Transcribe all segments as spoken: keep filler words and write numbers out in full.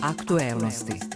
Aktuelnosti.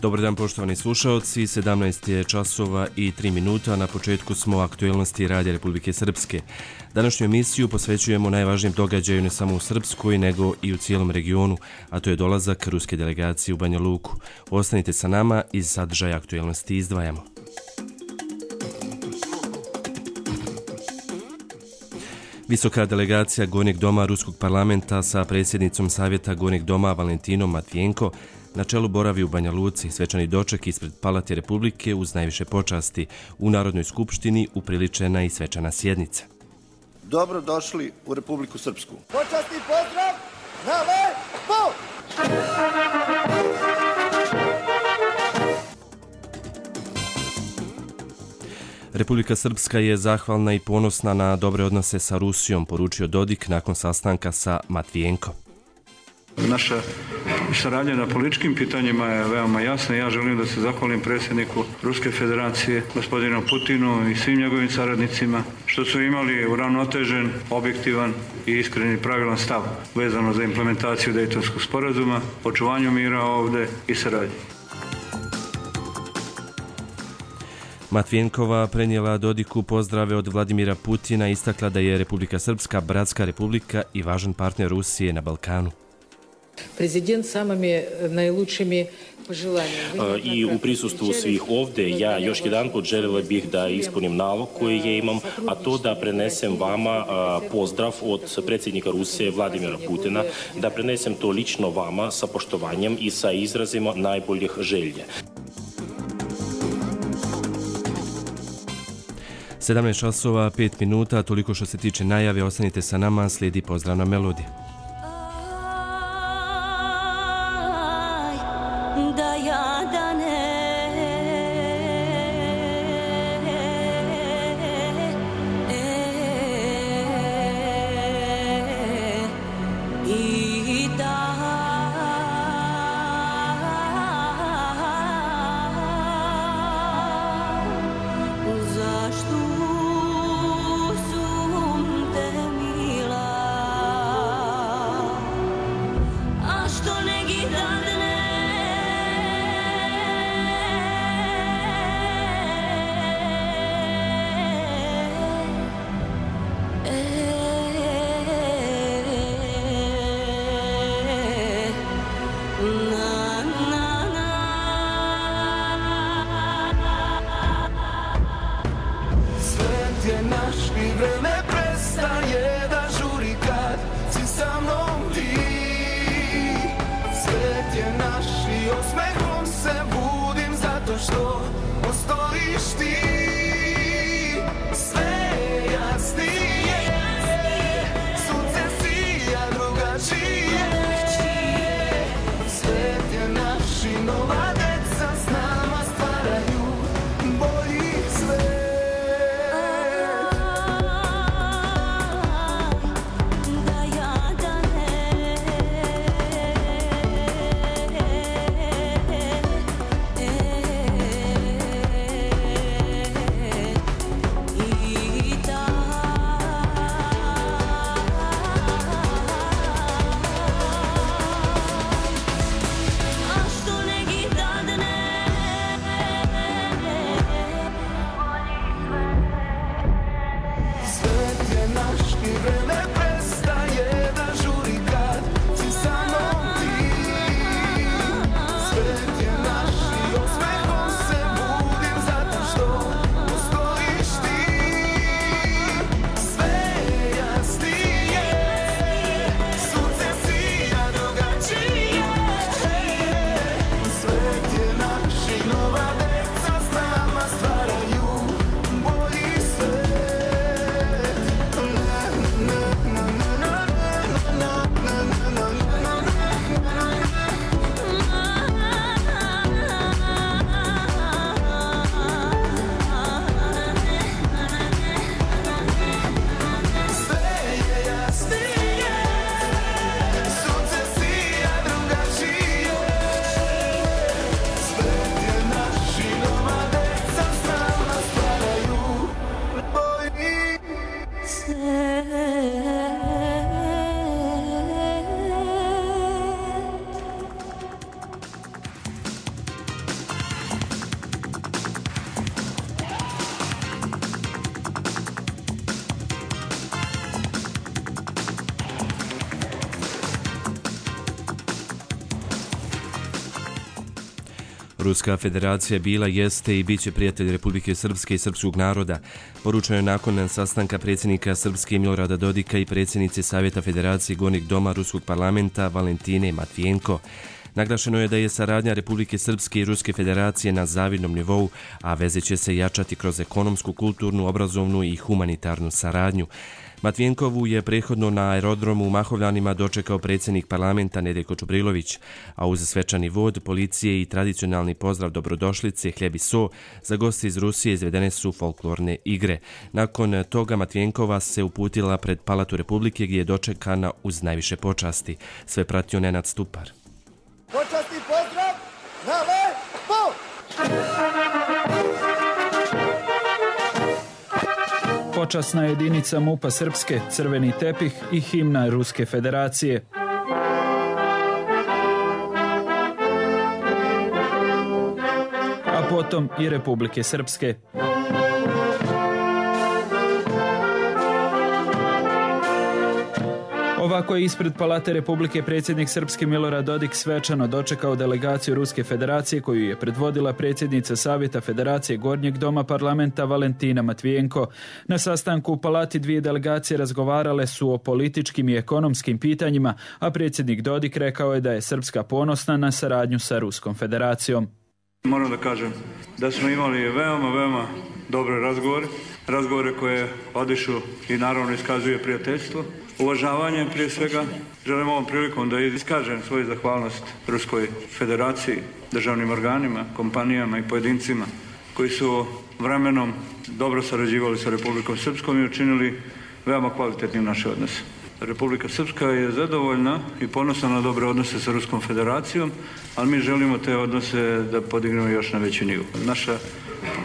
Dobar dan poštovani slušaoci, sedamnaest je časova i tri minuta, na početku smo aktuelnosti Radija Republike Srpske. Današnju emisiju posvećujemo najvažnijem događaju ne samo u Srpskoj, nego i u cijelom regionu, a to je dolazak ruske delegacije u Banja Luku. Ostanite sa nama, iz sadržaja aktuelnosti izdvajamo. Visoka delegacija Gornjeg doma Ruskog parlamenta sa predsjednicom Savjeta Gornjeg doma Valentinom Matvijenko na čelu boravi u Banja Luci. Svečani doček ispred Palate Republike uz najviše počasti. U Narodnoj skupštini upriličena i svečana sjednica. Dobro došli u Republiku Srpsku. Počasni pozdrav na lepo! Republika Srpska je zahvalna i ponosna na dobre odnose sa Rusijom, poručio Dodik nakon sastanka sa Matvijenko. Naša saradnja na političkim pitanjima je veoma jasna. Ja želim da se zahvalim predsjedniku Ruske federacije, gospodinu Putinu i svim njegovim saradnicima, što su imali uravnotežen, objektivan i iskreni pravilan stav vezano za implementaciju Dejtonskog sporazuma, očuvanju mira ovde i saradnje. Matvijenkova prenijela Dodiku pozdrave od Vladimira Putina i istakla da je Republika Srpska bratska republika i važan partner Rusije na Balkanu. Prezident samimi najlučimi poželjanja. I u prisustvu svih ovdje ja još jedan put željela bih da ispunim nalog koji je imam, a to da prenesem vama pozdrav od predsjednika Rusije Vladimira Putina, da prenesem to lično vama sa poštovanjem i sa izrazima najboljih želje. sedamnaest časova, pet minuta, toliko što se tiče najave, ostanite sa nama, slijedi pozdravna melodija. Ruska federacija bila, jeste i bit će prijatelj Republike Srpske i srpskog naroda. Poručeno je nakon sastanka predsjednika Srpske Milorada Dodika i predsjednice Savjeta Federacije Gornjeg doma Ruskog parlamenta Valentine Matvijenko. Naglašeno je da je saradnja Republike Srpske i Ruske federacije na zavidnom nivou, a veze će se jačati kroz ekonomsku, kulturnu, obrazovnu i humanitarnu saradnju. Matvijenkovu je prethodno na aerodromu u Mahovljanima dočekao predsjednik parlamenta Nedeljko Čubrilović, a uz svečani vod, policije i tradicionalni pozdrav dobrodošlice, hljeb i so, za goste iz Rusije izvedene su folklorne igre. Nakon toga Matvijenkova se uputila pred Palatu Republike gdje je dočekana uz najviše počasti. Sve pratio Nenad Stupar. Počasni pozdrav na lepo! Počasna jedinica MUP-a Srpske, crveni tepih i himna Ruske federacije. A potom i Republike Srpske. Ovako je ispred Palate Republike predsjednik Srpske Milorad Dodik svečano dočekao delegaciju Ruske federacije koju je predvodila predsjednica Savjeta Federacije Gornjeg doma parlamenta Valentina Matvijenko. Na sastanku u Palati dvije delegacije razgovarale su o političkim i ekonomskim pitanjima, a predsjednik Dodik rekao je da je Srpska ponosna na saradnju sa Ruskom federacijom. Moram da kažem da smo imali veoma, veoma dobre razgovore, razgovore koje odišu i naravno iskazuje prijateljstvo. Uvažavanje prije svega, želim ovom prilikom da iskažem svoju zahvalnost Ruskoj federaciji, državnim organima, kompanijama i pojedincima koji su vremenom dobro sarađivali sa Republikom Srpskom i učinili veoma kvalitetnim naše odnose. Republika Srpska je zadovoljna i ponosna na dobre odnose sa Ruskom federacijom, ali mi želimo te odnose da podignemo još na veći nivo. Naša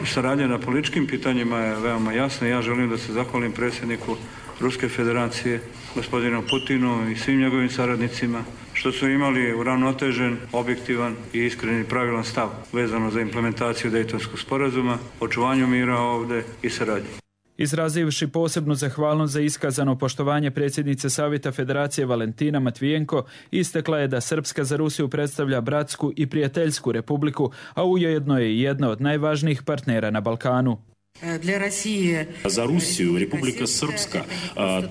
saradnja na političkim pitanjima je veoma jasna. Ja želim da se zahvalim predsjedniku Ruske federacije, gospodinu Putinu i svim njegovim saradnicima, što su imali uravnotežen, objektivan i iskreni pravilan stav vezano za implementaciju Dejtonskog sporazuma, očuvanju mira ovdje i saradnje. Izrazivši posebnu zahvalnost za iskazano poštovanje predsjednice Savjeta Federacije Valentina Matvijenko, istakla je da Srpska za Rusiju predstavlja bratsku i prijateljsku republiku, a ujedno je i jedna od najvažnijih partnera na Balkanu. Za Rusiju Republika Srpska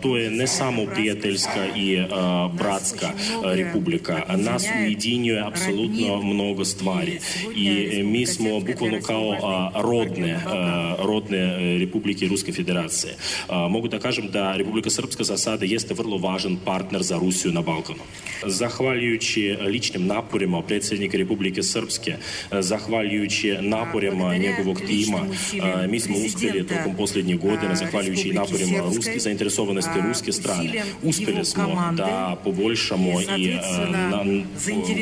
to je ne samo prijateljska i bratska republika. Nas ujedinjuje apsolutno mnogo stvari i mi smo bukvalno kao rodne, rodne republike Ruske federacije. Mogu da kažem da Republika Srpska za sada jeste vrlo važan partner za Rusiju na Balkanu. Zahvaljujući ličnim naporima predsjednika Republike Srpske, zahvaljujući naporima njegovog tima, mi smo uspjeli tokom posljednjih godina, zahvaljujući i naporima ruske zainteresovanosti ruske strane, uspjeli smo da poboljšamo i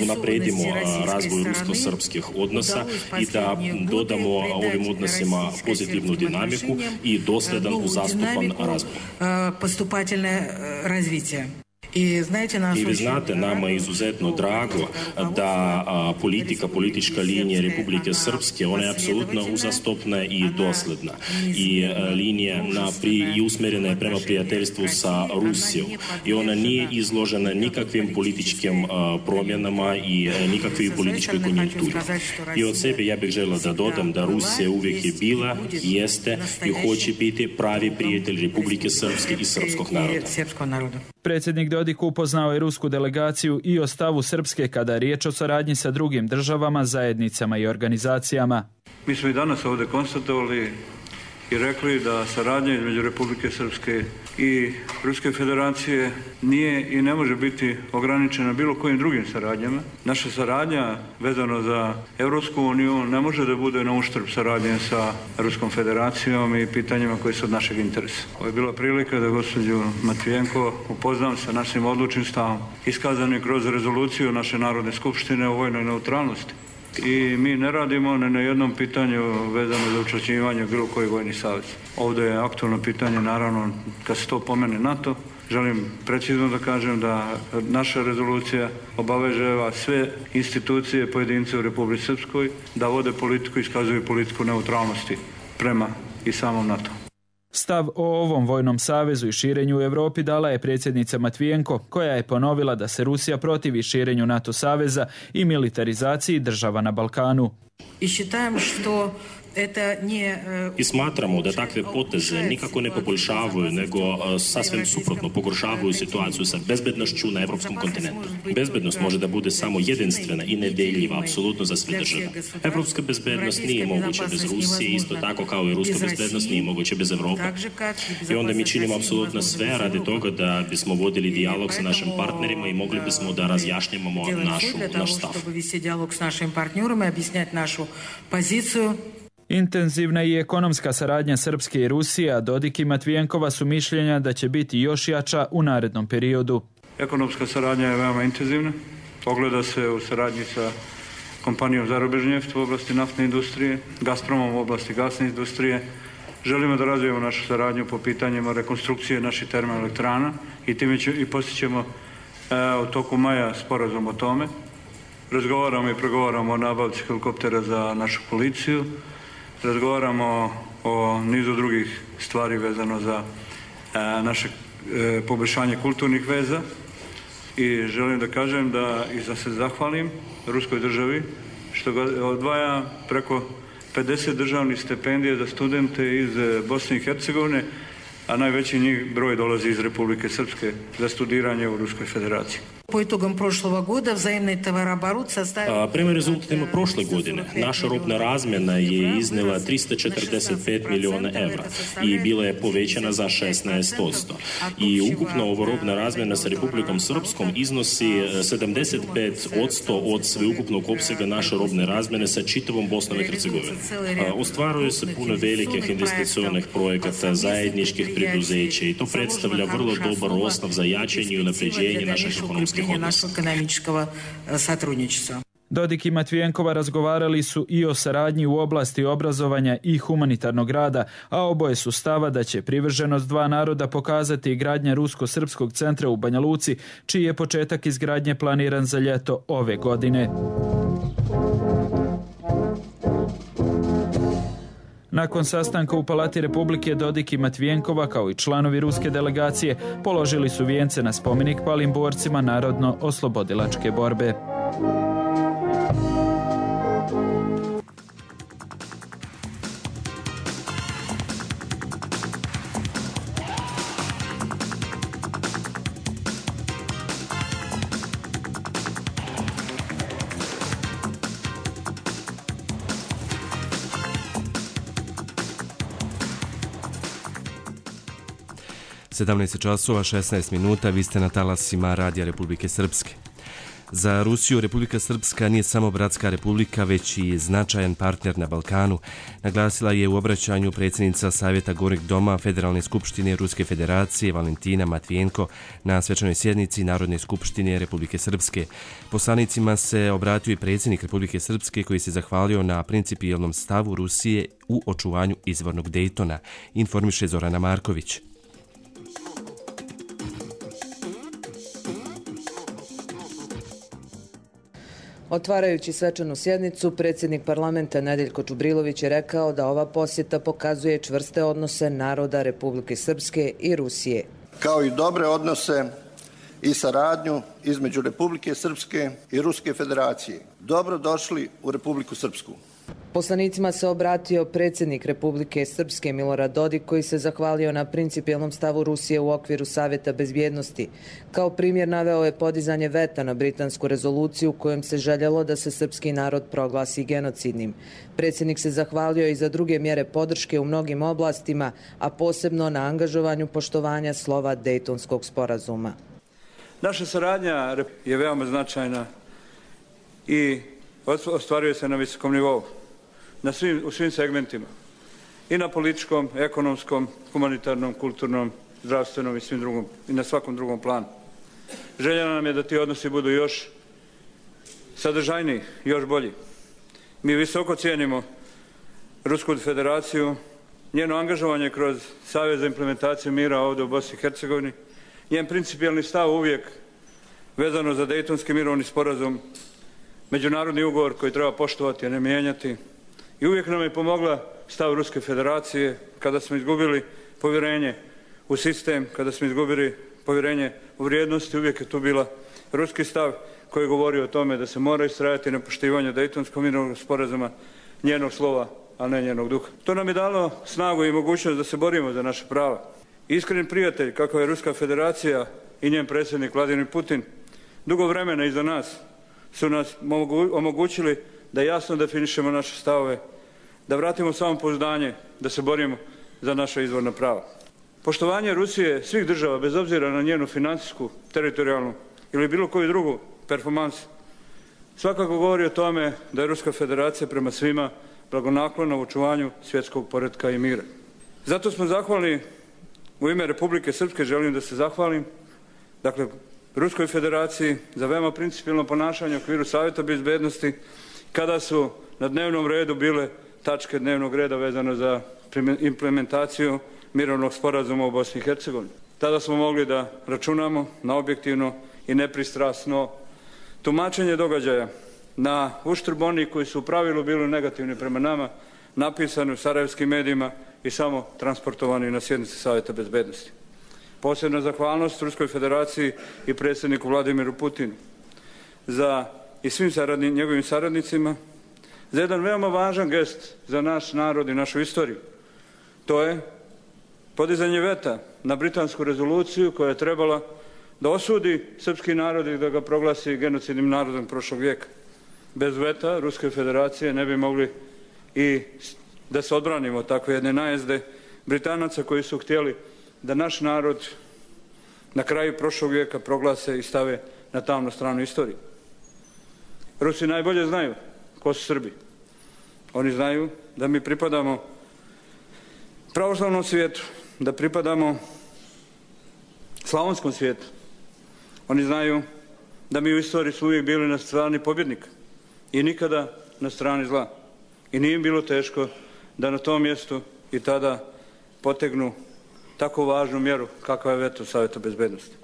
napredimo razvoj rusko-srpskih odnosa i da dodamo ovim odnosima pozitivnu dinamiku i dosljedan uzastupan razvoj. I vi znate, nama je izuzetno drago da a, politika, politička linija Republike Srpske, ona je apsolutno uzastopna i dosljedna. I a, linija na pri, i usmjerena je prema prijateljstvu sa Rusijom. I ona nije izložena nikakvim političkim a, promjenama i a, nikakvim političkoj konjunkturi. I od sebe ja bih želila da dodam da Rusija uvijek je bila, jeste i hoće biti pravi prijatelj Republike Srpske i srpskog naroda. Predsjednik Dodik upoznao je rusku delegaciju i o stavu Srpske kada je riječ o saradnji sa drugim državama, zajednicama i organizacijama. Mi smo i danas ovdje konstatovali i rekli da saradnja između Republike Srpske i Ruske federacije nije i ne može biti ograničena bilo kojim drugim saradnjama. Naša saradnja vezano za Europsku uniju ne može da bude na uštrb saradnje sa Ruskom federacijom i pitanjima koji su od našeg interesa. Ovo je bila prilika da gospođu Matvijenko upoznam sa našim odlučnim stavom, iskazanim kroz rezoluciju naše Narodne skupštine o vojnoj neutralnosti. I mi ne radimo ne na jednom pitanju vezano za učlanjivanje bilo koji vojni savez. Ovdje je aktualno pitanje, naravno, kad se to pomene NATO, želim precizno da kažem da naša rezolucija obavežava sve institucije, pojedince u Republici Srpskoj da vode politiku i iskazuju politiku neutralnosti prema i samom NATO. Stav o ovom vojnom savezu i širenju u Europi dala je predsjednica Matvijenko, koja je ponovila da se Rusija protivi širenju NATO saveza i militarizaciji država na Balkanu. I считаем, что I smatramo da takve poteze nikako ne poboljšavaju, nego sasvim suprotno pogoršavaju situaciju sa bezbednošću na evropskom kontinentu. Bezbednost može da bude samo jedinstvena i nedeljiva, apsolutno za sve države. Evropska bezbednost nije moguća bez Rusije, isto tako kao i ruska bezbednost nije moguća bez Evrope. I onda mi činimo apsolutno sve radi toga da bismo vodili dijalog sa našim partnerima i mogli bismo da razjašnjamo našu, naš stav. Intenzivna i ekonomska saradnja Srpske i Rusije, a Dodik i Matvijenkova su mišljenja da će biti još jača u narednom periodu. Ekonomska saradnja je veoma intenzivna. Ogleda se u saradnji sa kompanijom Zarobežnjeft u oblasti naftne industrije, Gazpromom u oblasti gasne industrije. Želimo da razvijemo našu saradnju po pitanjima rekonstrukcije naših termoelektrana i time će, i postićemo e, u toku maja sporazum o tome. Razgovaramo i pregovaramo o nabavci helikoptera za našu policiju. Razgovaramo o nizu drugih stvari vezano za e, naše e, poboljšanje kulturnih veza i želim da kažem da i da se zahvalim ruskoj državi što ga odvaja preko pedeset državnih stipendija za studente iz Bosne i Hercegovine, a najveći njih broj dolazi iz Republike Srpske za studiranje u Ruskoj federaciji. Po itogom prošlog года взаимный товарооборот составил... Prema rezultatima prošle godine naša robna razmjena je iznela tristo četrdeset pet miliona evra i bila je povećana za šesnaest posto. I ukupno ovo robna razmjena sa Republikom Srpskom iznosi sedamdeset pet posto od sveukupnog opsega naše robne razmjene sa čitavom Bosnom i Hercegovinom. Ostvaruje se puno velikih investicionih projekata, zajedničkih preduzeća i to predstavlja vrlo dobar osnov za jačanje i unapređenje naših ekonomskih našeg ekonomičkog satrudničstva. Dodik i Matvijenkova razgovarali su i o saradnji u oblasti obrazovanja i humanitarnog rada, a oboje su stava da će privrženost dva naroda pokazati gradnja Rusko-Srpskog centra u Banja Luci, čiji je početak izgradnje planiran za ljeto ove godine. Nakon sastanka u Palati Republike, Dodik i Matvijenkova, kao i članovi ruske delegacije, položili su vijence na spomenik palim borcima narodno-oslobodilačke borbe. sedamnaest časova šesnaest minuta, vi ste na talasima Radija Republike Srpske. Za Rusiju Republika Srpska nije samo bratska republika, već i značajan partner na Balkanu, naglasila je u obraćanju predsjednica Savjeta Gornjeg doma Federalne skupštine Ruske federacije Valentina Matvijenko na svečanoj sjednici Narodne skupštine Republike Srpske. Poslanicima se obratio i predsjednik Republike Srpske koji se zahvalio na principijelnom stavu Rusije u očuvanju izvornog Dejtona, informiše Zorana Marković. Otvarajući svečanu sjednicu, predsjednik parlamenta Nedeljko Čubrilović je rekao da ova posjeta pokazuje čvrste odnose naroda Republike Srpske i Rusije. Kao i dobre odnose i saradnju između Republike Srpske i Ruske federacije. Dobro došli u Republiku Srpsku. Poslanicima se obratio predsjednik Republike Srpske Milorad Dodik koji se zahvalio na principijelnom stavu Rusije u okviru Savjeta bezbjednosti. Kao primjer naveo je podizanje veta na britansku rezoluciju kojom se željelo da se srpski narod proglasi genocidnim. Predsjednik se zahvalio i za druge mjere podrške u mnogim oblastima, a posebno na angažovanju poštovanja slova Dejtonskog sporazuma. Naša saradnja je veoma značajna i ostvaruje se na visokom nivou. Na svim, u svim segmentima. I na političkom, ekonomskom, humanitarnom, kulturnom, zdravstvenom i svim drugom, i na svakom drugom planu. Želja nam je da ti odnosi budu još sadržajniji, još bolji. Mi visoko cijenimo Rusku federaciju, njeno angažovanje kroz Savez za implementaciju mira ovdje u Bosni i Hercegovini, njen principijelni stav uvijek vezano za Dejtonski mirovni sporazum, međunarodni ugovor koji treba poštovati, a ne mijenjati. I uvijek nam je pomogla stav Ruske federacije kada smo izgubili povjerenje u sistem, kada smo izgubili povjerenje u vrijednosti, uvijek je tu bila ruski stav. koji govori o tome da se mora istrajati na poštivanju Dejtonskog mirovnog sporazuma, njenog slova, a ne njenog duha. To nam je dalo snagu i mogućnost da se borimo za naše prava. Iskren prijatelj, kako je Ruska federacija i njen predsjednik Vladimir Putin, dugo vremena iza nas su nas omogućili da jasno definišemo naše stavove, da vratimo samopouzdanje, da se borimo za naša izvorna prava. Poštovanje Rusije svih država, bez obzira na njenu financijsku, teritorijalnu ili bilo koju drugu performansu, svakako govori o tome da je Ruska federacija prema svima blagonaklona u očuvanju svjetskog poretka i mira. Zato smo zahvalni, u ime Republike Srpske želim da se zahvalim, dakle, Ruskoj federaciji za veoma principijelno ponašanje u okviru Savjeta bezbednosti kada su na dnevnom redu bile tačke dnevnog reda vezano za implementaciju mirovnog sporazuma u Bosni i Hercegovini. Tada smo mogli da računamo na objektivno i nepristrasno tumačenje događaja na uštrb onih koji su u pravilu bili negativni prema nama, napisani u sarajevskim medijima i samo transportovani na sjednici Savjeta bezbednosti. Posebna zahvalnost Ruskoj federaciji i predsjedniku Vladimiru Putinu za i svim saradni, njegovim saradnicima za jedan veoma važan gest za naš narod i našu istoriju. To je podizanje veta na britansku rezoluciju koja je trebala da osudi srpski narod i da ga proglasi genocidnim narodom prošlog vijeka. Bez veta Ruske federacije ne bi mogli i da se odbranimo takve jedne najezde Britanaca koji su htjeli da naš narod na kraju prošlog vijeka proglase i stave na tamnu stranu istorije. Rusi najbolje znaju ko su Srbi. Oni znaju da mi pripadamo pravoslavnom svijetu, da pripadamo slavonskom svijetu. Oni znaju da mi u istoriji su uvijek bili na strani pobjednika i nikada na strani zla. I nije im bilo teško da na tom mjestu i tada potegnu tako važnu mjeru kakva je veto Savjeta bezbednosti.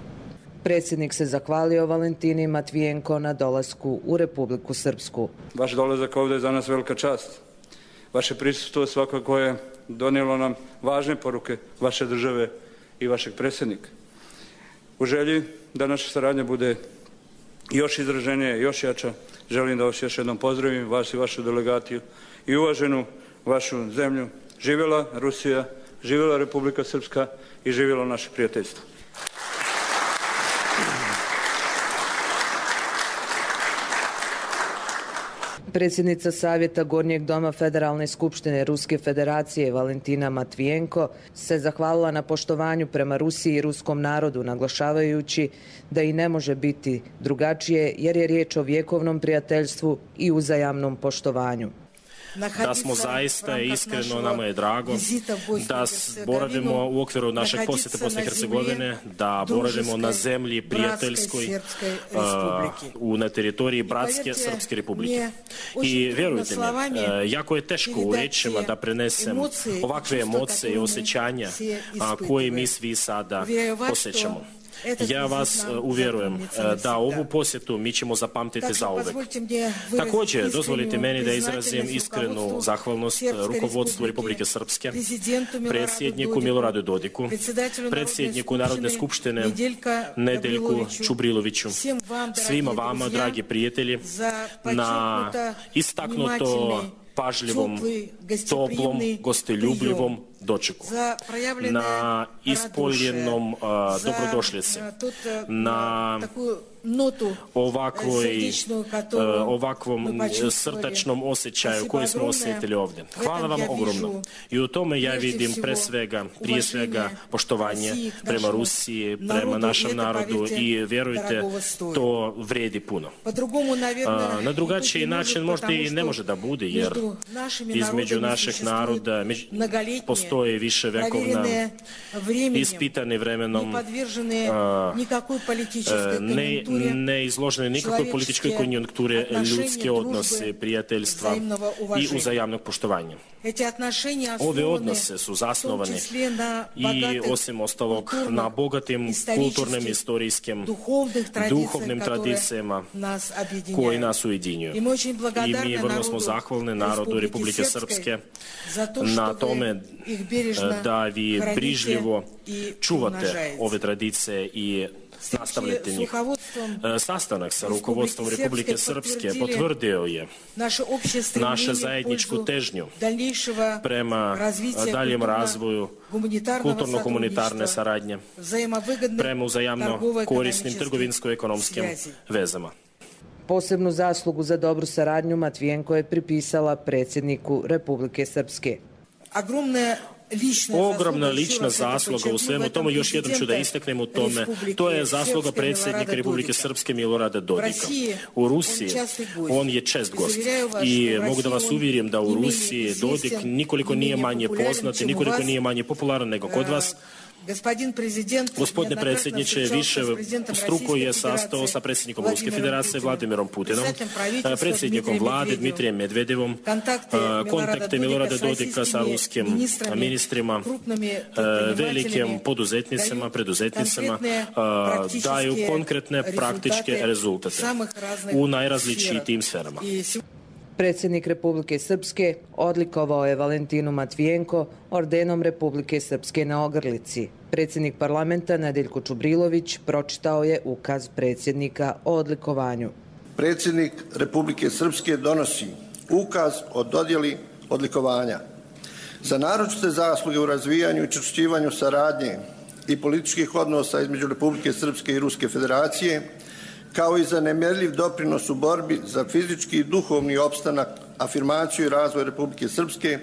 Predsjednik se zahvalio Valentini Matvijenko na dolasku u Republiku Srpsku. Vaš dolazak ovdje je za nas velika čast. Vaše prisustvo svakako je donijelo nam važne poruke vaše države i vašeg predsjednika. U želji da naša saradnja bude još izraženija, još jača, želim da vas još jednom pozdravim, vas i vašu delegaciju i uvaženu vašu zemlju. Živjela Rusija, živjela Republika Srpska i živjelo naše prijateljstvo. Predsjednica Savjeta Gornjeg doma Federalne skupštine Ruske federacije Valentina Matvijenko se zahvalila na poštovanju prema Rusiji i ruskom narodu, naglašavajući da i ne može biti drugačije jer je riječ o vjekovnom prijateljstvu i uzajamnom poštovanju. Da smo zaista iskreno, nama je drago da boravimo u okviru našeg posjeta Bosne i Hercegovine, da boravimo na zemlji prijateljskoj uh, na teritoriji Bratske Srpske republike. I vjerujte mi, uh, jako je teško u rečima da prenesem ovakve emocije i osjećanja uh, koje mi svi sada osjećamo. Ja vas uvjerujem da ovu posjetu mi ćemo zapamtiti zauvek. Također, dozvolite meni da izrazim iskrenu zahvalnost rukovodstvu Republike Srpske, predsjedniku Miloradu Dodiku, predsjedniku Narodne skupštine Nedeljku Čubriloviću, svima vama, dragi prijatelji, na istaknuto pažljivom, toplom, gostoljubljivom dočeku, na ispoljenom uh, dobrodošlici, na ovakvoj, uh, ovakvom srdačnom osjećaju koji smo osjetili ovdje. Hvala vam ogromno. I u tome ja vidim pre svega, prije svega poštovanje prema Rusiji, prema našem narodu i vjerujte, to vredi puno. Uh, na drugačiji način možda i ne može da bude, jer između naših naroda postoji više vekovna, ispitani vremenom, ne, ne izložene nikakvoj političkoj konjunkturi, ljudske odnose, prijateljstva i uzajamnog poštovanja. Ove odnose su zasnovane i osim ostalog na bogatim kulturnim, istorijskim, duhovnim tradicijama koji nas ujedinjuju. I mi vrlo smo zahvalni narodu Republike Srpske na tome da vi brižljivo čuvate ove tradicije i nastavljati njih. Sastanak sa rukovodstvom Republike Srpske potvrdio je našu zajedničku težnju prema daljem razvoju kulturno-humanitarne saradnje, prema uzajamno korisnim trgovinsko-ekonomskim vezama. Posebnu zaslugu za dobru saradnju Matvijenko je pripisala predsjedniku Republike Srpske. Ogromna lična zasluga u svemu tomu, još jednom ću da istaknem u tome, to je zasluga predsjednika Republike Srpske Milorada Dodika. U Rusiji on je čest gost i mogu da vas uvjerim da u Rusiji Dodik nikoliko nije manje poznat i nikoliko nije manje popularan nego kod vas. Gospodine predsjedniče, više struko je sastao sa predsjednikom Ruske federacije Vladimirom Putinom, predsjednikom vlade Dmitrijem Medvedevom, kontakte Milorada Dodika sa ruskim ministrima, velikim poduzetnicima, preduzetnicima, daju konkretne praktičke rezultate u najrazličitijim sferama. Predsjednik Republike Srpske odlikovao je Valentinu Matvijenko ordenom Republike Srpske na ogrlici. Predsjednik parlamenta Nedeljko Čubrilović pročitao je ukaz predsjednika o odlikovanju. Predsjednik Republike Srpske donosi ukaz o dodjeli odlikovanja za naročite zasluge u razvijanju i učvršćivanju saradnje i političkih odnosa između Republike Srpske i Ruske federacije, kao i za nemjerljiv doprinos u borbi za fizički i duhovni opstanak, afirmaciju i razvoj Republike Srpske,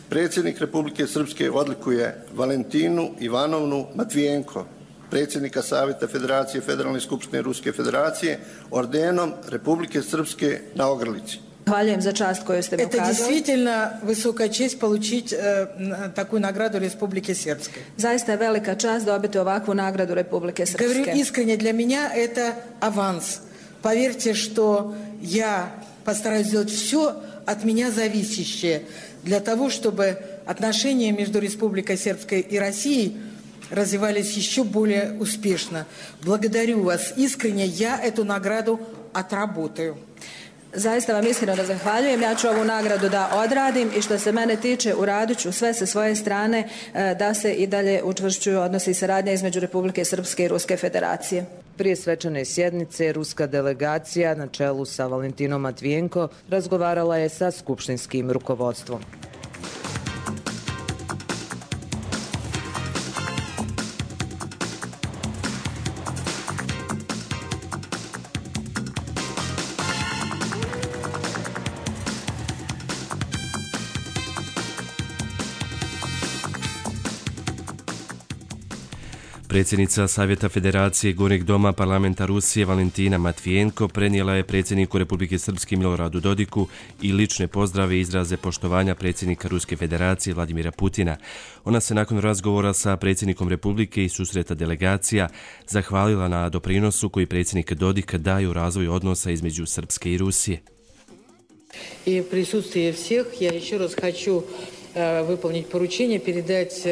predsjednik Republike Srpske odlikuje Valentinu Ivanovnu Matvijenko, predsjednika Savjeta Federacije Federalne skupštine Ruske federacije, ordenom Republike Srpske na ogrlici. Zahvaljujem za čast koju ste mi ukazali. Это действительно высокая честь получить э, такую награду Республики Сербской. Zaista je velika čast dobiti ovakvu nagradu Republike Srpske. Говорю искренне, для меня это аванс. Поверьте, что я постараюсь сделать все от меня зависящее для того, чтобы отношения между Республикой Сербской и Россией развивались еще более успешно. Благодарю вас искренне, я эту награду отработаю. Zaista vam iskreno zahvaljujem. Ja ću ovu nagradu da odradim i što se mene tiče uradit ću sve sa svoje strane da se i dalje učvršćuju odnosi i saradnja između Republike Srpske i Ruske federacije. Prije svečane sjednice ruska delegacija na čelu sa Valentinom Matvijenko razgovarala je sa skupštinskim rukovodstvom. Predsjednica Savjeta Federacije Gornjeg doma parlamenta Rusije Valentina Matvijenko prenijela je predsjedniku Republike Srpske Miloradu Dodiku i lične pozdrave i izraze poštovanja predsjednika Ruske federacije Vladimira Putina. Ona se nakon razgovora sa predsjednikom Republike i susreta delegacija zahvalila na doprinosu koji predsjednik Dodik daje u razvoju odnosa između Srpske i Rusije. I присутствие всех я еще раз хочу выполнить поручение, передать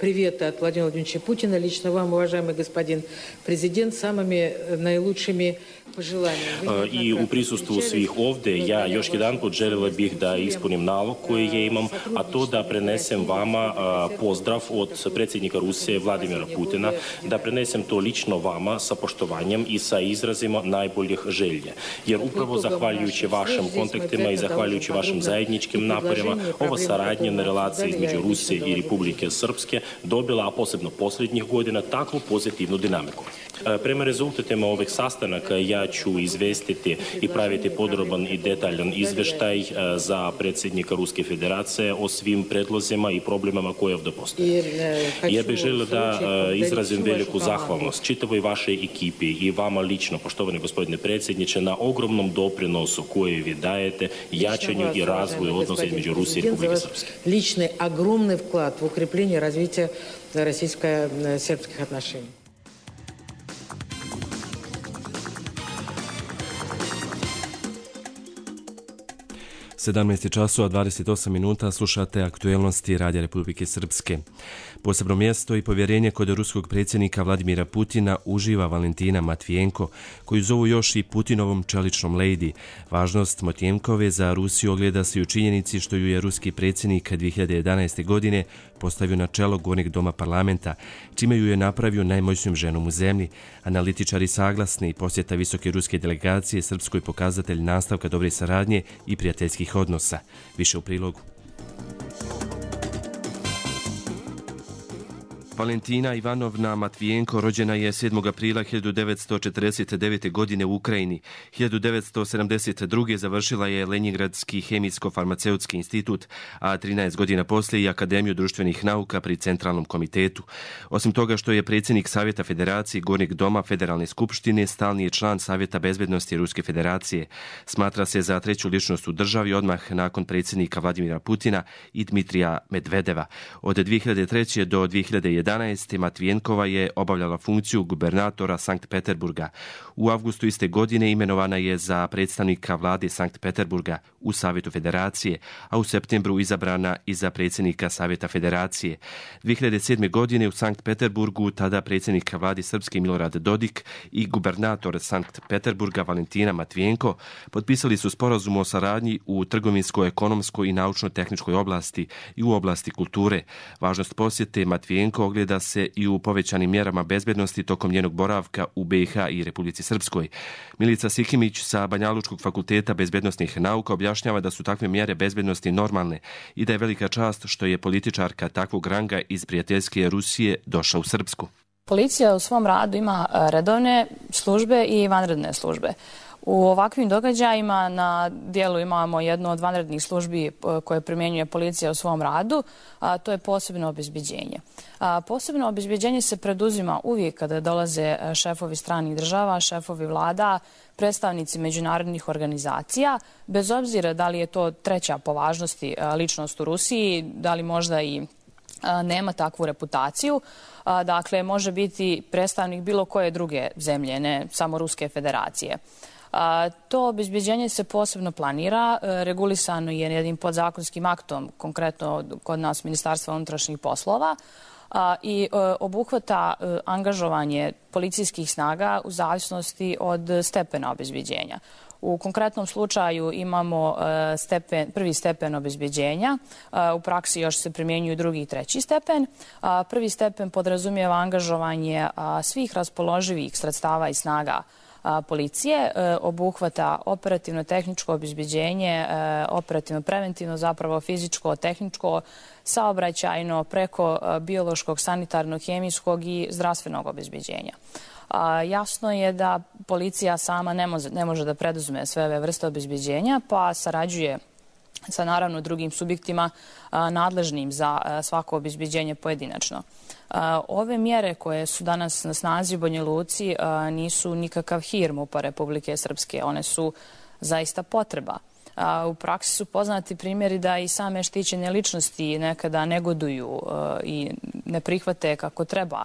привет от Владимира Владимировича Путина лично вам, уважаемый господин президент, самыми наилучшими pожеланиями. I u prisustvu svih ovdje ja još jedan put željela bih da ispunim nalog koji je imam, a to da prenesem vama pozdrav od predsjednika Rusije Vladimira Putina, da prenesem to lično vama sa poštovanjem i sa izrazima najboljih želje. Jer upravo zahvaljujući vašim kontaktima i zahvaljujući vašim zajedničkim naporima, ova saradnja na relaciji između Rusije i Republike Srpske dobila, a posebno posljednjih godina, takvu pozitivnu dinamiku. Prema rezultatima ovih sastanaka ja ću izvestiti i praviti podroban i detaljan izveštaj za predsjednika Ruske federacije o svim predlozima i problemama koje ovdje postoje. Ja bih želio da izrazim veliku zahvalnost čitavoj vašoj ekipi i vama lično, poštovani gospodine predsjedniče, na ogromnom doprinosu koje vi dajete jačanju i razvoju odnosa između Rusije i Republike Srpske. Lični ogromni vklad u ukrepljenje razvića российско-сербских отношений. sedamnaest časova dvadeset osam minuta, slušate aktuelnosti Radija Republike Srpske. Posebno mjesto i povjerenje kod ruskog predsjednika Vladimira Putina uživa Valentina Matvijenko, koju zovu još i Putinovom čeličnom lady. Važnost Matvijenkove za Rusiju ogleda se u činjenici što ju je ruski predsjednik dvije hiljade jedanaeste. godine postavio na čelo Gornjeg doma parlamenta, čime ju je napravio najmoćnijom ženom u zemlji. Analitičari saglasni i posjeta visoke ruske delegacije Srpskoj pokazatelj nastavka dobre saradnje i prijateljskih odnosa. Više u prilogu. Valentina Ivanovna Matvijenko rođena je sedmog aprila hiljadu devetsto četrdeset devete. godine u Ukrajini. hiljadu devetsto sedamdeset druge. završila je Lenjingradski hemijsko-farmaceutski institut, a trinaest godina poslije i Akademiju društvenih nauka pri Centralnom komitetu. Osim toga što je predsjednik Savjeta Federacije Gornjeg doma Federalne skupštine, stalni je član Savjeta bezbednosti Ruske federacije. Smatra se za treću ličnost u državi odmah nakon predsjednika Vladimira Putina i Dmitrija Medvedeva. Od dvije hiljade treće. do dvije hiljade jedanaeste. Matvijenkova je obavljala funkciju gubernatora Sankt Peterburga. U avgustu iste godine imenovana je za predstavnika vlade Sankt Peterburga u Savjetu Federacije, a u septembru izabrana i za predsjednika Savjeta Federacije. dvije hiljade sedme. godine u Sankt Peterburgu tada predsjednik vlade Srpske Milorad Dodik i gubernator Sankt Peterburga Valentina Matvijenko potpisali su sporazum o saradnji u trgovinskoj, ekonomskoj i naučno-tehničkoj oblasti i u oblasti kulture. Važnost posjete Matvijenko ogleda se i u povećanim mjerama bezbednosti tokom njenog boravka u B i H i Republici Srpskoj. Milica Sikimić sa Banjalučkog fakulteta bezbednostnih nauka objašnjava da su takve mjere bezbednosti normalne i da je velika čast što je političarka takvog ranga iz prijateljske Rusije došla u Srpsku. Policija u svom radu ima redovne službe i vanredne službe. U ovakvim događajima na dijelu imamo jednu od vanrednih službi koje primjenjuje policija u svom radu, a to je posebno obezbeđenje. A posebno obezbeđenje se preduzima uvijek kada dolaze šefovi stranih država, šefovi vlada, predstavnici međunarodnih organizacija, bez obzira da li je to treća po važnosti ličnost u Rusiji, da li možda i nema takvu reputaciju. Dakle, može biti predstavnik bilo koje druge zemlje, ne samo Ruske federacije. To obezbeđenje se posebno planira, regulisano je jednim podzakonskim aktom, konkretno kod nas Ministarstva unutrašnjih poslova, i obuhvata angažovanje policijskih snaga u zavisnosti od stepena obezbeđenja. U konkretnom slučaju imamo stepen, prvi stepen obezbeđenja, u praksi još se primjenjuju drugi i treći stepen. Prvi stepen podrazumijeva angažovanje svih raspoloživih sredstava i snaga policije, obuhvata operativno tehničko obezbeđenje, operativno preventivno, zapravo fizičko, tehničko, saobraćajno, preko biološkog, sanitarnog, hemijskog i zdravstvenog obezbeđenja. Jasno je da policija sama ne može, ne može da preduzme sve ove vrste obezbeđenja, pa sarađuje sa naravno drugim subjektima nadležnim za svako obezbeđenje pojedinačno. Ove mjere koje su danas na snazi u Banja Luci nisu nikakav hir MUP-a Republike Srpske, one su zaista potreba. U praksi su poznati primjeri da i same štićene ličnosti nekada negoduju i ne prihvate kako treba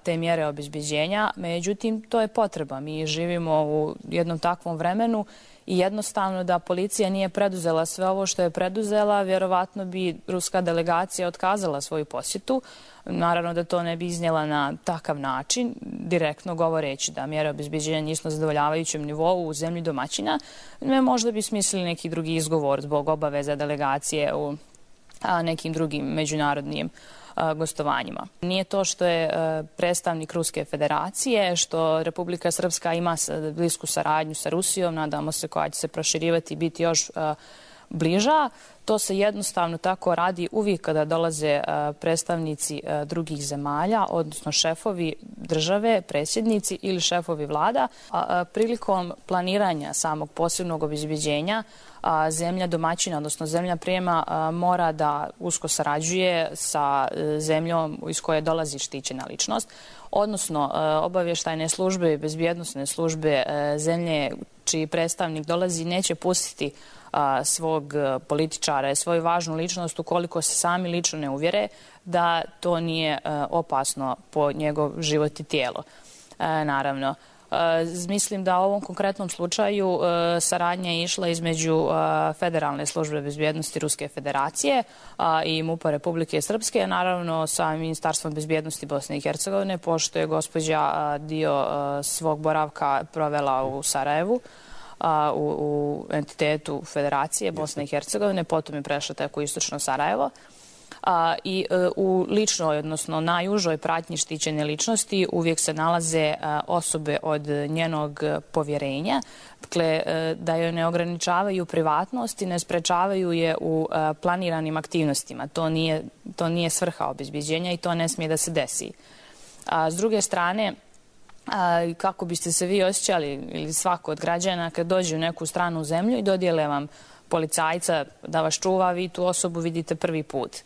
te mjere obezbeđenja, međutim to je potreba. Mi živimo u jednom takvom vremenu i jednostavno da policija nije preduzela sve ovo što je preduzela, vjerovatno bi ruska delegacija otkazala svoju posjetu. Naravno da to ne bi iznijela na takav način, direktno govoreći da mjere obezbeđenja nisu na zadovoljavajućem nivou u zemlji domaćina. Možda bi smislili neki drugi izgovor zbog obaveza delegacije u nekim drugim međunarodnim gostovanjima. Nije to što je predstavnik Ruske federacije, što Republika Srpska ima blisku saradnju sa Rusijom, nadamo se koja će se proširivati i biti još bliža. To se jednostavno tako radi uvijek kada dolaze predstavnici drugih zemalja, odnosno šefovi države, predsjednici ili šefovi vlada. Prilikom planiranja samog posebnog obezbeđenja zemlja domaćina, odnosno zemlja prijema, mora da usko sarađuje sa zemljom iz koje dolazi štićena ličnost, odnosno obavještajne službe i bezbjednosne službe zemlje čiji predstavnik dolazi neće pustiti svog političara, svoju važnu ličnost ukoliko se sami lično ne uvjere da to nije opasno po njegov život i tijelo. Naravno, Mislim da u ovom konkretnom slučaju saradnja je išla između Federalne službe bezbjednosti Ruske federacije i MUP-a Republike Srpske, naravno sa Ministarstvom bezbjednosti Bosne i Hercegovine, pošto je gospođa dio svog boravka provela u Sarajevu, u, u entitetu Federacije Bosne i Hercegovine, potom je prešla tek u istočno Sarajevo. A, i e, u ličnoj, odnosno najužoj pratnji štićene ličnosti uvijek se nalaze a, osobe od njenog povjerenja, dakle e, da joj ne ograničavaju privatnost i ne sprečavaju je u a, planiranim aktivnostima. To nije, to nije svrha obezbeđenja i to ne smije da se desi. A, s druge strane, a, kako biste se vi osjećali ili svako od građana kad dođe u neku stranu zemlju i dodijele vam policajca da vas čuva, vi tu osobu vidite prvi put.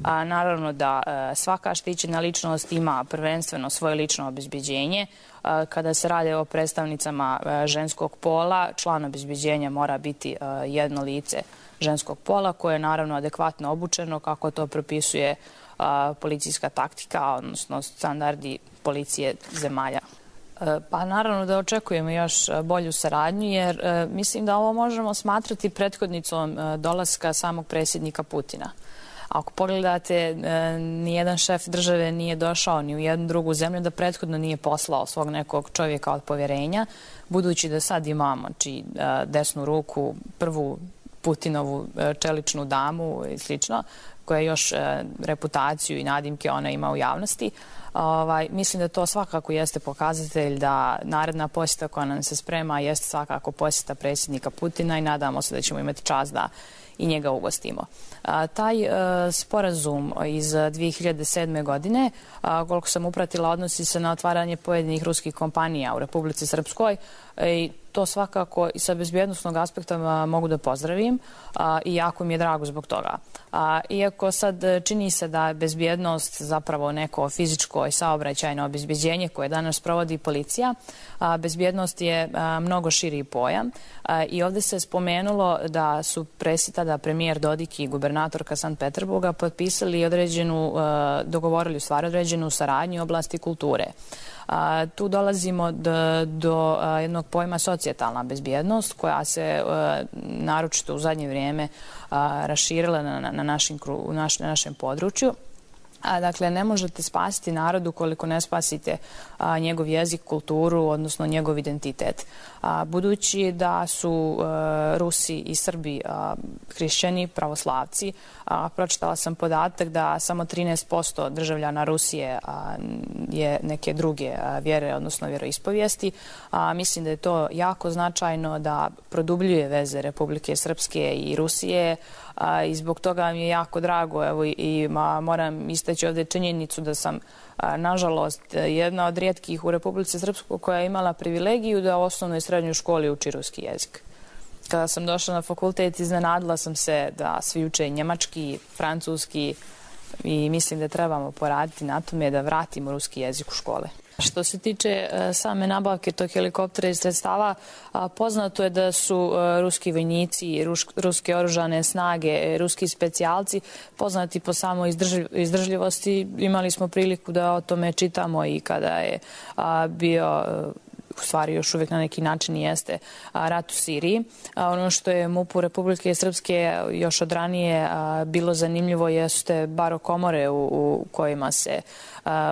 A, naravno da a, svaka štićena ličnost ima prvenstveno svoje lično obezbeđenje. A, kada se radi o predstavnicama a, ženskog pola, član obezbeđenja mora biti a, jedno lice ženskog pola koje je naravno adekvatno obučeno kako to propisuje a, policijska taktika, odnosno standardi policije zemalja. Pa naravno da očekujemo još bolju saradnju jer e, mislim da ovo možemo smatrati prethodnicom e, dolaska samog predsjednika Putina. Ako pogledate, e, nijedan šef države nije došao ni u jednu drugu zemlju da prethodno nije poslao svog nekog čovjeka od povjerenja, budući da sad imamo či, e, desnu ruku, prvu Putinovu e, čeličnu damu i slično, koja još e, reputaciju i nadimke ona ima u javnosti. Ovaj, mislim da to svakako jeste pokazatelj da naredna posjeta koja nam se sprema jeste svakako posjeta predsjednika Putina i nadamo se da ćemo imati čast da i njega ugostimo. A, taj a, sporazum iz dvije hiljade sedme. godine, a, koliko sam upratila, odnosi se na otvaranje pojedinih ruskih kompanija u Republici Srpskoj i to svakako i sa bezbjednostnog aspekta mogu da pozdravim a, i jako mi je drago zbog toga. A, iako sad čini se da je bezbjednost zapravo neko fizičko i saobraćajno obezbeđenje koje danas provodi policija, a, bezbjednost je a, mnogo širi pojam a, i ovdje se spomenulo da su presita da premijer Dodik i gubernatorka Sankt Peterburga potpisali određenu, a, dogovorili u stvari određenu saradnju u oblasti kulture. A, tu dolazimo do, do a, jednog pojma socijalna bezbjednost koja se a, naročito u zadnje vrijeme a, raširila na, na, našim, u naš, na našem području. A, dakle, ne možete spasiti narodu koliko ne spasite a, njegov jezik, kulturu, odnosno njegov identitet. A, budući da su a, Rusi i Srbi a, hrišćani, pravoslavci, a, pročitala sam podatak da samo trinaest posto državljana Rusije a, je neke druge a, vjere, odnosno vjeroispovijesti. A, mislim da je to jako značajno da produbljuje veze Republike Srpske i Rusije, a, i zbog toga mi je jako drago, evo, i ma, moram istaći ovdje činjenicu da sam a, nažalost jedna od rijetkih u Republici Srpskoj koja je imala privilegiju da u osnovnoj i srednjoj školi uči ruski jezik. Kada sam došla na fakultet, iznenadila sam se da svi uče njemački, francuski i mislim da trebamo poraditi na tome da vratimo ruski jezik u škole. Što se tiče same nabavke tog helikoptera i sredstava, poznato je da su ruski vojnici, ruske oružane snage, ruski specijalci poznati po samo izdržljivosti. Imali smo priliku da o tome čitamo i kada je bio, u stvari još uvijek na neki način jeste, rat u Siriji. Ono što je MUP-u Republike Srpske još od ranije bilo zanimljivo jeste barokomore u, u kojima se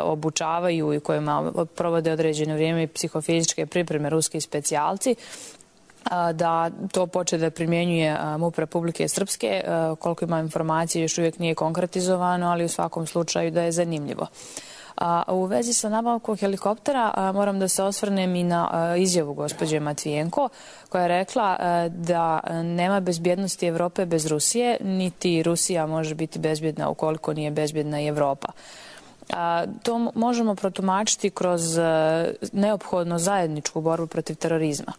obučavaju i kojima provode određeno vrijeme psihofizičke pripreme ruski specijalci, da to počne da primjenjuje MUP Republike Srpske. Koliko ima informacije još uvijek nije konkretizovano, ali u svakom slučaju da je zanimljivo. A u vezi sa nabavkom helikoptera a, moram da se osvrnem i na a, izjavu gospođe Matvijenko koja je rekla a, da nema bezbjednosti Evrope bez Rusije, niti Rusija može biti bezbjedna ukoliko nije bezbjedna i Evropa. A, to možemo protumačiti kroz a, neophodno zajedničku borbu protiv terorizma.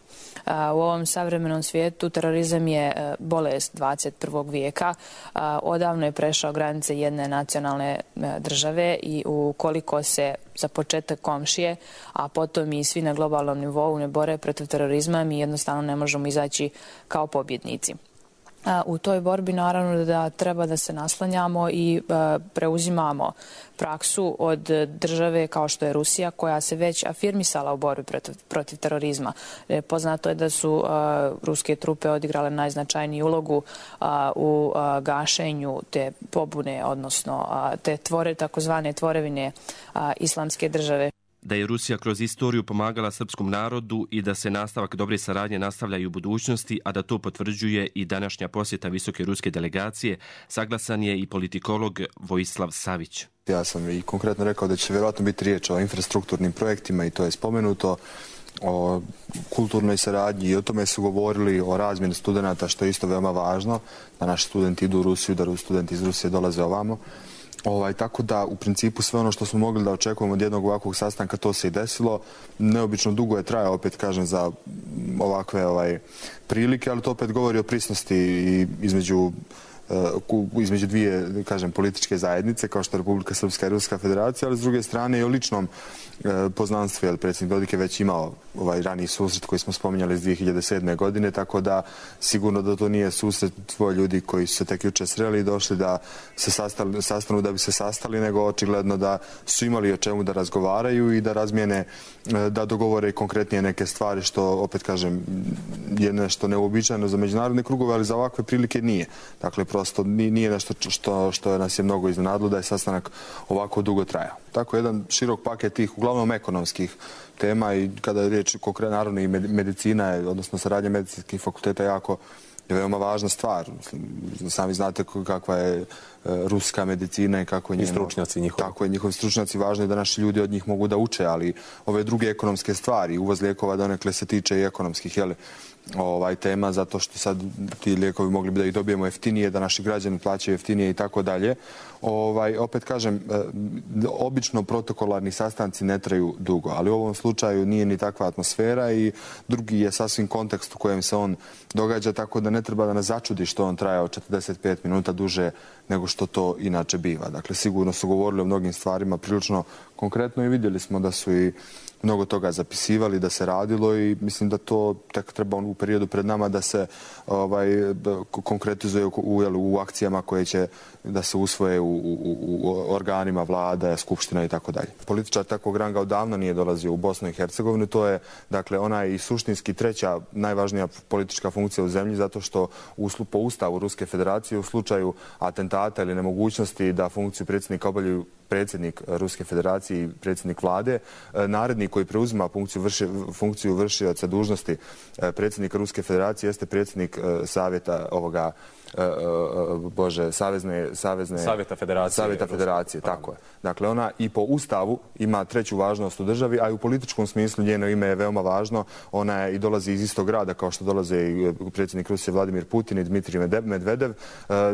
A, u ovom savremenom svijetu terorizam je a, bolest dvadeset prvog vijeka. A, odavno je prešao granice jedne nacionalne a, države i ukoliko se za početak komšije, a potom i svi na globalnom nivou ne bore protiv terorizma, mi jednostavno ne možemo izaći kao pobjednici. U toj borbi naravno da treba da se naslanjamo i preuzimamo praksu od države kao što je Rusija, koja se već afirmisala u borbi protiv, protiv terorizma. Poznato je da su a, ruske trupe odigrale najznačajniju ulogu a, u a, gašenju te pobune, odnosno a, te tvore, takozvane tvorevine a, islamske države. Da je Rusija kroz istoriju pomagala srpskom narodu i da se nastavak dobre saradnje nastavlja i u budućnosti, a da to potvrđuje i današnja posjeta visoke ruske delegacije, saglasan je i politikolog Vojislav Savić. Ja sam i konkretno rekao da će vjerojatno biti riječ o infrastrukturnim projektima i to je spomenuto, o kulturnoj saradnji i o tome su govorili, o razmjeni studenata, što je isto veoma važno, da naši studenti idu u Rusiju, da studenti iz Rusije dolaze ovamo. Ovaj, tako da u principu sve ono što smo mogli da očekujemo od jednog ovakvog sastanka, to se i desilo. Neobično dugo je trajao, opet kažem, za ovakve ovaj, prilike, ali to opet govori o prisnosti i između između dvije, kažem, političke zajednice, kao što je Republika Srpska i Ruska federacija, ali s druge strane i o ličnom poznanstvu, jer predsjednik Dodik je već imao ovaj raniji susret koji smo spominjali iz dvije hiljade sedme. godine, tako da sigurno da to nije susret tvoje ljudi koji su se tek juče sreli i došli da se sastali, sastanu da bi se sastali, nego očigledno da su imali o čemu da razgovaraju i da razmijene, da dogovore konkretnije neke stvari, što opet kažem je nešto neuobičajeno za međunarodne krugove, ali za ovakve prilike nije. Dakle, prosto nije nešto što, što nas je mnogo iznenadilo da je sastanak ovako dugo trajao. Tako jedan širok paket tih uglavnom ekonomskih tema i kada je riječ konkretno naravno i medicina, odnosno saradnja medicinskih fakulteta jako je veoma važna stvar. Sami znate kakva je ruska medicina i kako je njeno, stručnjaci njihovi. Tako je, njihovi stručnjaci, važno je da naši ljudi od njih mogu da uče, ali ove druge ekonomske stvari, uvoz lijekova donekle se tiče i ekonomskih, jeli, ovaj tema, zato što sad ti lijekovi mogli bi da ih dobijemo jeftinije, da naši građani plaćaju jeftinije i tako dalje. Ovaj, opet kažem, obično protokolarni sastanci ne traju dugo, ali u ovom slučaju nije ni takva atmosfera i drugi je sasvim kontekst u kojem se on događa, tako da ne treba da nas začudi što on trajao četrdeset pet minuta duže nego što to inače biva. Dakle, sigurno su govorili o mnogim stvarima prilično konkretno i vidjeli smo da su i mnogo toga zapisivali, da se radilo i mislim da to tek treba u periodu pred nama da se ovaj, da konkretizuje u, u, u akcijama koje će da se usvoje u, u, u organima vlada, skupština i tako dalje. Političar takvog ranga odavno nije dolazio u Bosnu i Hercegovinu, to je dakle ona i suštinski treća najvažnija politička funkcija u zemlji, zato što u, po ustavu Ruske federacije u slučaju atentata ili nemogućnosti da funkciju predsjednika obavljaju predsjednik Ruske federacije i predsjednik vlade, narednik koji preuzima funkciju, vrši, funkciju vršioca dužnosti predsjednika Ruske federacije jeste predsjednik savjeta ovoga Bože, savezne, savezne Savjeta federacije. Savjeta federacije, tako je. Dakle, ona i po ustavu ima treću važnost u državi, a i u političkom smislu njeno ime je veoma važno. Ona je i dolazi iz istog grada kao što dolaze i predsjednik Rusije Vladimir Putin i Dmitrij Medvedev.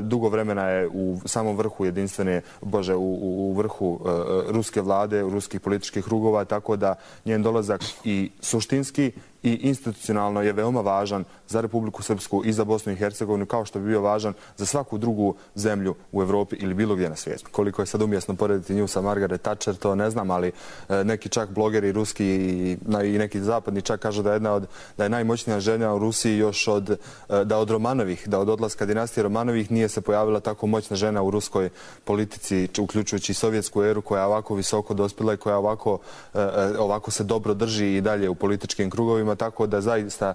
Dugo vremena je u samom vrhu jedinstvene, Bože, u, u vrhu ruske vlade, u ruskih političkih krugova, tako da njen dolazak i suštinski i institucionalno je veoma važan za Republiku Srpsku i za Bosnu i Hercegovinu, kao što bi bio važan za svaku drugu zemlju u Evropi ili bilo gdje na svijetu. Koliko je sad umjesno porediti nju sa Margaret Thatcher, to ne znam, ali neki čak blogeri ruski i, i neki zapadni čak kažu da je, jedna od, da je najmoćnija žena u Rusiji još od, da od Romanovih, da od odlaska dinastije Romanovih nije se pojavila tako moćna žena u ruskoj politici, uključujući sovjetsku eru, koja je ovako visoko dospjela i koja ovako, ovako se dobro drži i dalje u političkim krugovima, tako da zaista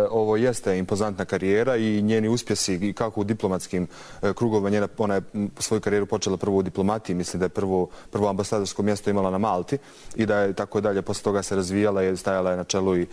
ovo jeste impozantna karijera i njeni uspjesi kako u diplomatskim krugovima. Njena, ona je svoju karijeru počela prvo u diplomatiji, mislim da je prvo, prvo ambasadorsko mjesto imala na Malti i da je tako dalje, posle toga se razvijala i stajala je na čelu i e,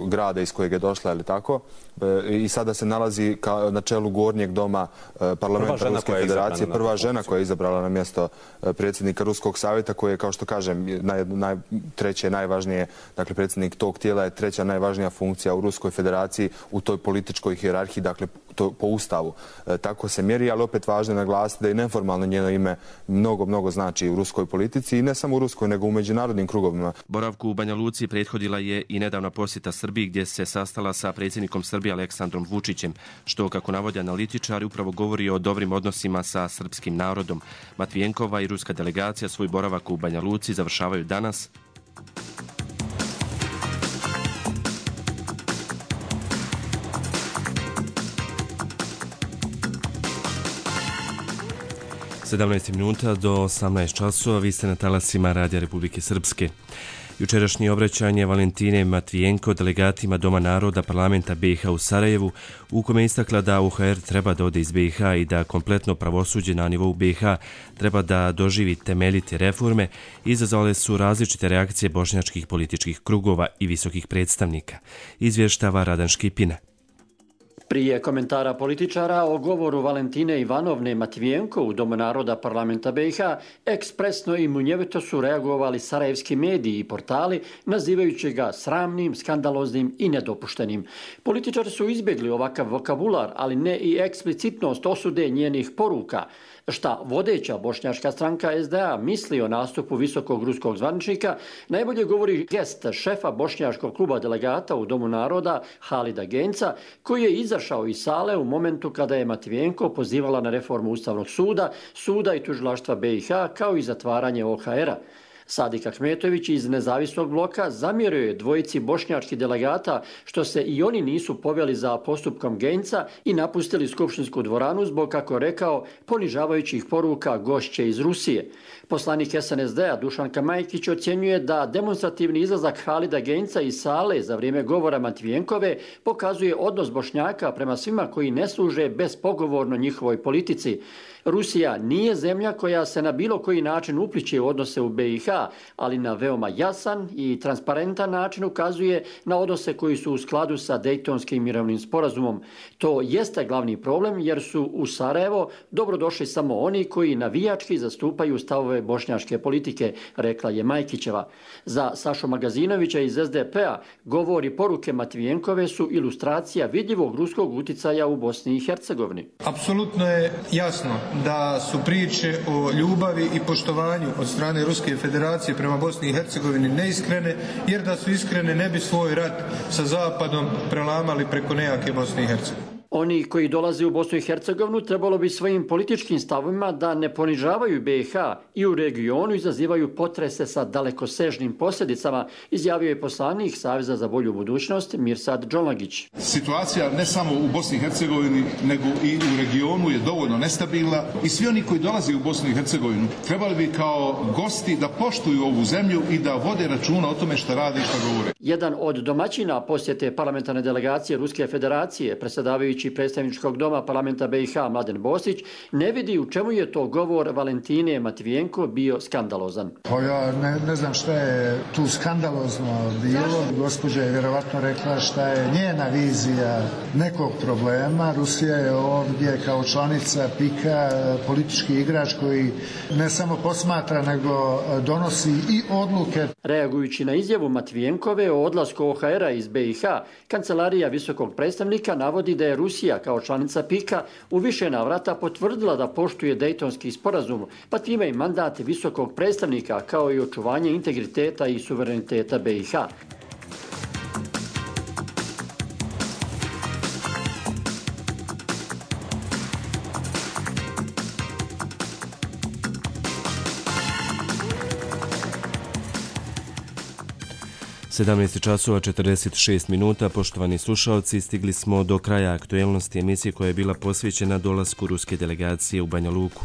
grada iz kojeg je došla, ali tako. E, I sada se nalazi ka, na čelu gornjeg doma e, parlamenta Ruske federacije, prva žena koja je izabrala na mjesto e, predsjednika Ruskog savjeta, koji je, kao što kažem, naj, naj, treće najvažnije, dakle predsjednik tog tijela je treća najvažnija funkcija u Ruskoj federaciji u toj političkoj hijerarhiji, dakle to po ustavu. E, tako se mjeri, ali opet važno je naglasiti da i neformalno njeno ime mnogo, mnogo znači u ruskoj politici i ne samo u ruskoj, nego u međunarodnim krugovima. Boravku u Banja Luci prethodila je i nedavna posjeta Srbiji, gdje se sastala sa predsjednikom Srbije Aleksandrom Vučićem, što, kako navode analitičari, upravo govori o dobrim odnosima sa srpskim narodom. Matvijenkova i ruska delegacija svoj boravak u Banja Luci završavaju danas. sedamnaest minuta do osamnaest časova, vi ste na talasima Radija Republike Srpske. Jučerašnje obraćanje Valentine Matvijenko delegatima Doma naroda parlamenta B i H u Sarajevu, u kome je istakla da U H R treba da ode iz B i H i da kompletno pravosuđe na nivou B i H treba da doživi temeljite reforme, izazvale su različite reakcije bošnjačkih političkih krugova i visokih predstavnika. Izvještava Radan Škipina. Prije komentara političara o govoru Valentine Ivanovne Matvijenko u Domu naroda parlamenta B i H, ekspresno i munjevito su reagovali sarajevski mediji i portali, nazivajući ga sramnim, skandaloznim i nedopuštenim. Političari su izbjegli ovakav vokabular, ali ne i eksplicitnost osude njenih poruka. Šta vodeća bošnjačka stranka S D A misli o nastupu visokog ruskog zvaničnika, najbolje govori gest šefa bošnjačkog kluba delegata u Domu naroda Halida Genca, koji je izašao iz sale u momentu kada je Matvijenko pozivala na reformu Ustavnog suda, suda i tužilaštva B i H, kao i zatvaranje O H R-a. Sadik Ahmetović iz nezavisnog bloka zamjerio je dvojici bošnjačkih delegata što se i oni nisu poveli za postupkom Genca i napustili skupštinsku dvoranu zbog, kako rekao, ponižavajućih poruka gošće iz Rusije. Poslanik S N S D-a Dušan Kamajkić ocjenjuje da demonstrativni izlazak Halida Genca iz sale za vrijeme govora Matvijenkove pokazuje odnos Bošnjaka prema svima koji ne služe bespogovorno njihovoj politici. Rusija nije zemlja koja se na bilo koji način upliće u odnose u B i H, ali na veoma jasan i transparentan način ukazuje na odnose koji su u skladu sa Dejtonskim mirovnim sporazumom. To jeste glavni problem jer su u Sarajevo dobrodošli samo oni koji navijački zastupaju stavove bošnjačke politike, rekla je Majkićeva. Za Sašu Magazinovića iz S D P-a govori poruke Matvijenkove su ilustracija vidljivog ruskog uticaja u Bosni i Hercegovini. Apsolutno je jasno da su priče o ljubavi i poštovanju od strane Ruske federacije prema Bosni i Hercegovini neiskrene, jer da su iskrene ne bi svoj rat sa Zapadom prelamali preko nejake Bosne i Hercegovine. Oni koji dolaze u Bosnu i Hercegovinu trebalo bi svojim političkim stavovima da ne ponižavaju B i H i u regionu izazivaju potrese sa dalekosežnim posljedicama, izjavio je poslanik Saveza za bolju budućnost Mirsad Džonlagić. Situacija ne samo u Bosni i Hercegovini nego i u regionu je dovoljno nestabilna i svi oni koji dolaze u Bosnu i Hercegovinu trebali bi kao gosti da poštuju ovu zemlju i da vode računa o tome šta rade i šta govore. Jedan od domaćina posjete parlamentarne delegacije Ruske federacije, predsjedavajući predstavničkog doma parlamenta B i H Mladen Bosić, ne vidi u čemu je to govor Valentine Matvijenko bio skandalozan. Pa ja ne, ne znam šta je tu skandalozno bilo. Gospođa je vjerovatno rekla šta je njena vizija nekog problema. Rusija je ovdje kao članica P I K-a politički igrač koji ne samo posmatra nego donosi i odluke. Reagujući na izjavu Matvijenkove o odlasku O H R-a iz B i H, kancelarija visokog predstavnika navodi da je Rusija kao članica P I K-a u više navrata potvrdila da poštuje Dejtonski sporazum, pa time i mandat visokog predstavnika kao i očuvanje integriteta i suvereniteta B i H. sedamnaest časova četrdeset šest minuta, poštovani slušalci, stigli smo do kraja aktuelnosti emisije koja je bila posvećena dolasku ruske delegacije u Banja Luku.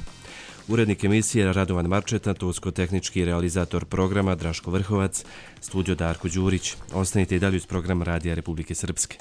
Urednik emisije Radovan Marčeta, tonsko-tehnički realizator programa Draško Vrhovac, studio Darko Đurić. Ostanite i dalje uz program Radija Republike Srpske.